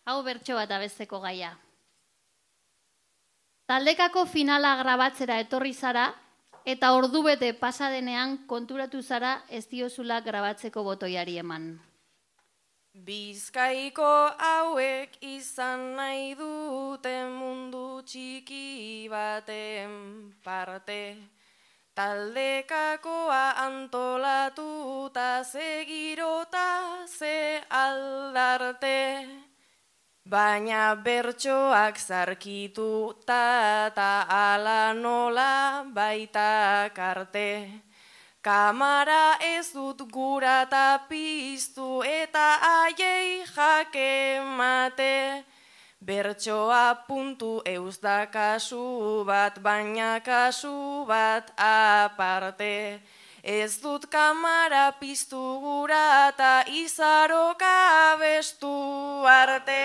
Hau bertso bat abesteko gaia. Taldekako finala grabatzera etorri zara, eta ordubete pasadenean konturatu zara ez diozula grabatzeko botoiari eman. Bizkaiko hauek izan nahi dute mundu txiki baten parte. Taldekakoa antolatuta ze girota ze aldarte. Baina bertsoak zarkituta eta ala nola baita karte. Kamara ez dut gura eta piztu eta aiei jake mate. Bertsoa puntu euz da kasu bat, baina kasu bat aparte. Ez dut kamara piztu gura eta izaroka abestu arte.